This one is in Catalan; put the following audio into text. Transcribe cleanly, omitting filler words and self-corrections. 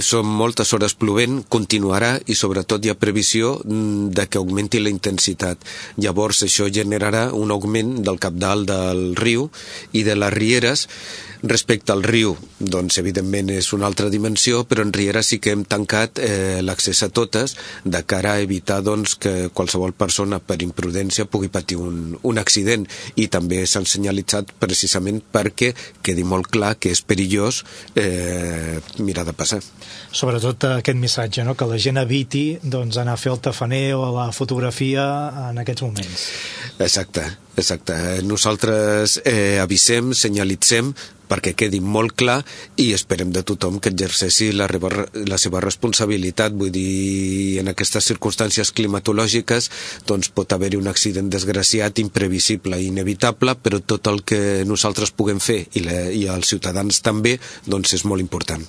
són moltes hores plovent, continuarà i sobretot hi ha previsió de que augmenti la intensitat. Llavors això generarà un augment del cabdal del riu i de les rieres. Respecte al riu, doncs evidentment és una altra dimensió, però en rieres sí que hem tancat l'accés a totes de cara a evitar doncs, que qualsevol persona per imprudència pugui patir un accident, i també s'han senyalitzat precisament perquè quedi molt clar que és perillós mirar de passar. Sobretot aquest missatge, no? Que la gent eviti doncs, anar a fer el tafaner o la fotografia en aquests moments. Exacte. Nosaltres avisem, senyalitzem perquè quedi molt clar i esperem de tothom que exerceixi la seva responsabilitat. Vull dir, en aquestes circumstàncies climatològiques doncs pot haver-hi un accident desgraciat, imprevisible i inevitable, però tot el que nosaltres puguem fer i els ciutadans també doncs és molt important.